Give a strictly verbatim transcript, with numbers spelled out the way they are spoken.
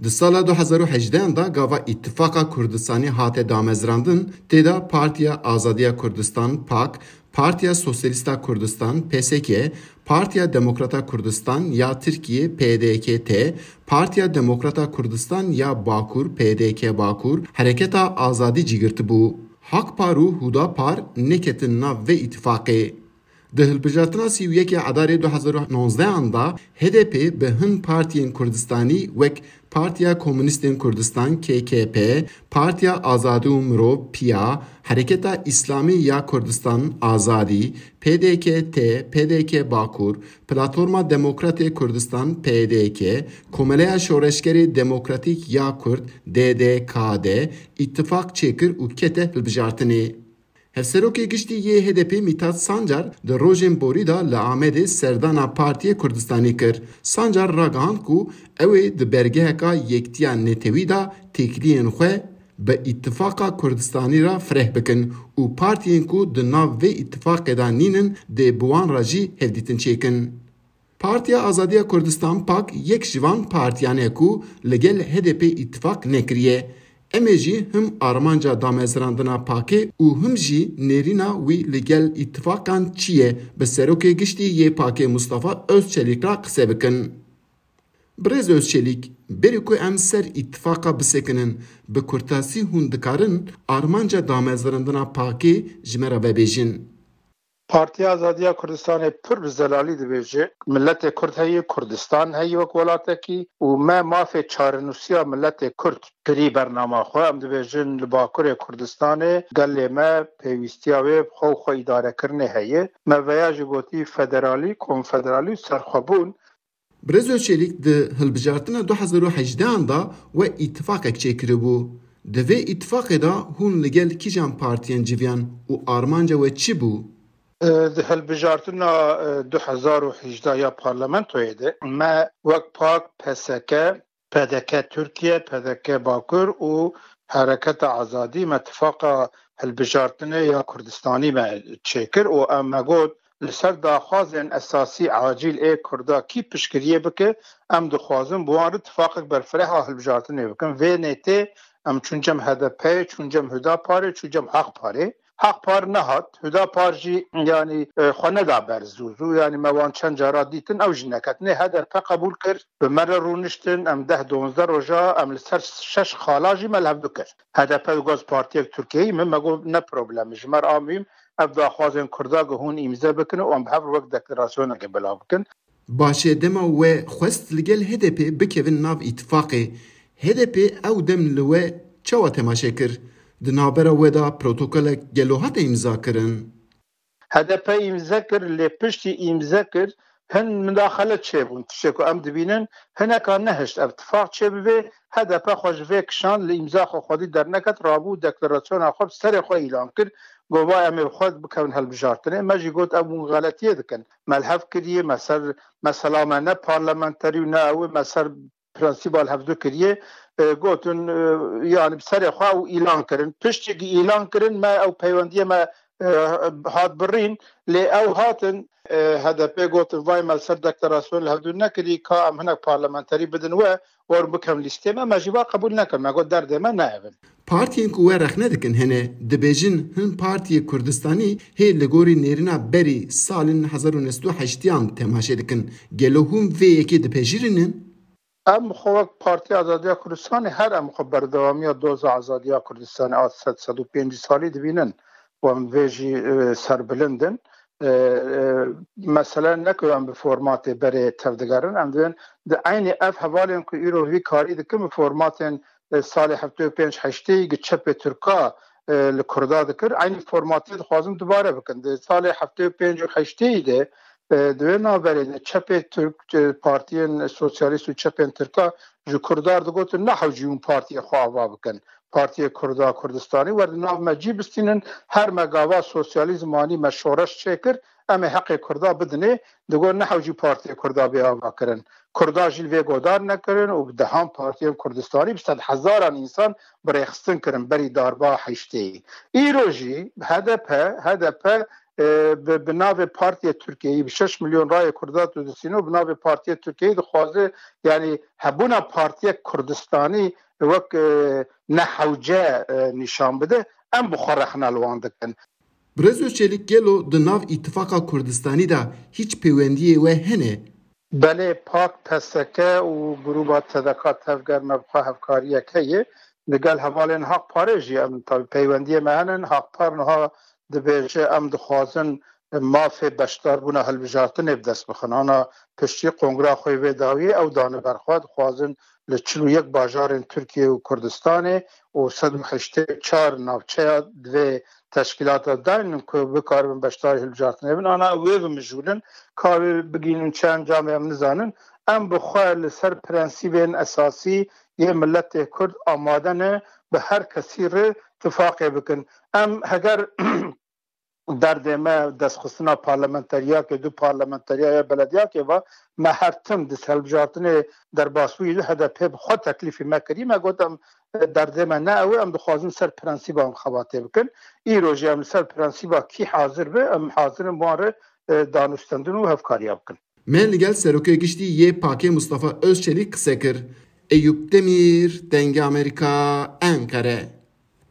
Di sala du hezar û hejdehan de gava Îtifaqa Kurdistanî hate damezrandin, tê de Partiya Azadiya Kurdistan, pak, Partiya Sosyalîst a Kurdistan, P S K, Partiya Demokrat a Kurdistan ya Tirkiyê, P D K T, Partiya Demokrat a Kurdistan ya Bakur, P D K Bakur, Hereketa Azadî cî girtibû. Hakpar û Hudapar neketin nav vê îtifaqê. Di hilbijartina sî û yekê Edarê du hezar û nozdehan de H D P bi hin partiyên Kurdistanî wek Partiya Komûnîstên Kurdistan, K K P, Partiya Azadî û Mirov, piya, Hereketa Îslamî ya Kurdistan, Azadî, P D K T, P D K Bakur, Platforma Demokratê Kurdistan, P D K, Komeleya Şoreşgerê Demokratîk ya Kurd, D D K D, îtifaq çêkir û kete hilbijartinê. Hevserokê Giştî yê H D P Mîtat Sancar di rojên borî de li Amedê serdana Partiyê Kurdistanî kir. Sancar ragihand ku ew ê di bergeheka Yektiya Netewî de têkiliyên xwe bi Îtifaqa Kurdistanî re fireh bikin û partiyên ku di nav vê îtifaqê de nînin dê bi wan re jî hevdîtin çêkin. Partiya Azadiya Kurdistan, pak, yek ji van partiyan e ku li gel H D P îtifaq nekiriye. Em ê jî him armanca damezrandina pakê û him jî nêrîna wî li gel îtifaqan çi ye, bi Serokê Giştî yê pakê Mustafa Özçelîk re qise bikin. Birêz Özçelîk, berî ku em ser îtifaqa bisekinin, bi kurtasî hûn dikarin armanca damezrandina pakê ji me re vebêjin? Partiya Azadiya Kurdistanê pir bi zelalî dibêje, miletê Kurd heye, Kurdistan heye wek welatekî û me mafê çarenûsiya miletê Kurd kirî bernama xwe. Em dibêjin li Bakurê Kurdistanê gelê me pêwîstiya wê bi xwe û xwe îdarekirinê heye. Me veya jî gotî federalî, konfederalî û serxwebûn. Birêz Özçelîk di hilbijartina du hezar û hejdehan de we îtifaqek çêkiribû. Di vê îtifaqê de hûn li gel kîjan partiyên civiyan û armanca we çi bû? E, di hilbijartina, e, du hezar û hejdeh ya parlamentoyê de me wek pak, P S K, P D K Tirkiye, P D K Bakur û Hereketa Azadî me tifaqa hilbijartinê ya Kurdistanî me çêkir û em me got, li ser daxwazên esasî acîl ê Kurda kî piştgiriyê bike, em dixwazin bi wan re tifaqek berfireh a hilbijartinê bikin. Vê nêtê em çûn cem H D P, çûn cem Hudaparê, çûn cem Hakparê. Hakpar nehat, Hudapar jî, yanî, e, xwe neda ber zû zû, yanî me wan çend cara dîtin, ew jî neketinê. H D P qebûl kir, bi me re rûniştin, em deh donzdeh roja, em li ser şeş xala jî me li hev dikir. H D P digot partiyek Tirkiyeyî, min me got ne problem e, ji me re a muhîm ev daxwazên Kurda ku hûn îmze bikin û em bi hev re wek deklarasyonekê belav bikin. Baş e, dema we xwest li gel H D P bikevin nav îtifaqê, H D P ew dem li we çawa temaşe kir? Di navbera we de protokolek gelo hate îmza kirin? H D P îmze kir, lê piştî îmze kir, hin midaxele çêbûn. Tiştê ku em dibînin, hineka nehişt ev tifaq çêbibe, H D P xwe ji vê kişand, li îmza xwe xwedî derneket, rabû deklarasyona xwe bi serê xwe îlan kir. Got, va em ê bi xwe bikevin hilbijartinê. Me jî got, ev hûn xeletiyê dikin. Me li hev kiriye, me ser, mesela me ne parlamenterî û ne ew ê, me ser prensîba li hevdu kiriye, e, gotin, e, yanî bi serê xwe û îlan kirin. Piştî ku îlan kirin, me ew peywendiyê me, e, hat birîn, lê ew hatin, e, H D P gotin, vay me li ser deklarasyon li hevdu nekirî, ka em hinek parlamenterî bidin we, werin bikem lîstê me, me jî va qebûl nekir. Me got derdê me ne ev in. Partiyên ku we rexne dikin hene, dibêjin hin partiyê Kurdistanî hê li gorî nêrîna berî salên hezar û neh sed û heştiyan temaşe dikin. Gelo hûn vê yekê dipejirînin? Em xwe wek Partiya Azadiya Kurdistanê her em xwe berdewamiya doza azadiya Kurdistanê a sed, sed û pêncî salî dibînin û em vê jî, e, serbilind in. E, e, mesele ne ku em bi formatê berê tevdigerin, em dibên di eynî ev hevalên ku îro vî karî dikin bi formatên, e, salê heftê û pênc heştê gi çepê Tirka, e, li Kurda dikir, eynî formatê dixwazin dubare bikin. Di salê heftê û pênc û heştê de, e, di wê navberê de çepê Tirk, e, partiyên sosyalîst û çepên Tirka ji Kurda re digotin, nehewcî hûn partiyê xwe ava bikin. Partiyê Kurda Kurdistanî wer di nav me cî bistînin, her me gava sosyalîzm anî me şoreş çêkir, em ê heqê Kurda bidinê, digot nehewcî partiyê Kurda bê ava kirin. Kurda jî li vê godar nekirin û bi dehan partiyên Kurdistanî bi sedhezaran însan bi rêxistin kirin berî darba heştê. Îro jî H D P, H D P e, bi, bi navê Partiyê Tirkiyeyî, bi şeş milyon rayê Kurda tu disîno, bi navê Partiyê Tirkiyeyî dixwaze, yanî hebûna partiyek Kurdistanî wek, e, nehewce, e, nîşan bide, em bi xwe rexne li wan dikin. Birêz Özçelik, gelo di nav Îtifaqa Kurdistanî de hîç pêwendiyê we hene? Belê, PAK, P S K û grûba T D K Tevger me bi xwe hevkariyek heye. Li gel hevalên Haq Parê jî em tabi peywendiyê me hene. Haq Par niha dibêje, em dixwazin mafê beşdarbûna hilbijartinê bi dest bixin. Ana piştî kongra xwe vê dawiyê ew dane ber xwe, dixwazin li çil û yek bajarên Tirkiye û Kurdistanê û sed û heştê û çar navçeya divê teşkîlata daynin ku bikaribin beşdarî hilbijartinê bin. Ana wê bimijûlin, ka wê bigihînin çi encamê em nizanin. Em bi xwe li ser prensîbên esasî yê miletê Kurd amade ne bi her kesî re tifaqê bikin. Em heger derdê me destxistina parlamenteriyakê, du parlamenteriya ya belediyakê va, me her tim di hilbijartinê derbasbûyî de H D P bi xwe teklîfî me kirî. Me got, em, derdê me ne ew e, em dixwazin ser prensîba em xebatê bikin. Îro jî em li ser prensîba kî hazir be, em hazir in wan re, e, danûstendin û hevkariya bikin. Me li gel Serokê Giştî yê PAKê Mustafa Özçelik qise kir. Eyûp Demîr, Dengê Amerîka, Enqere.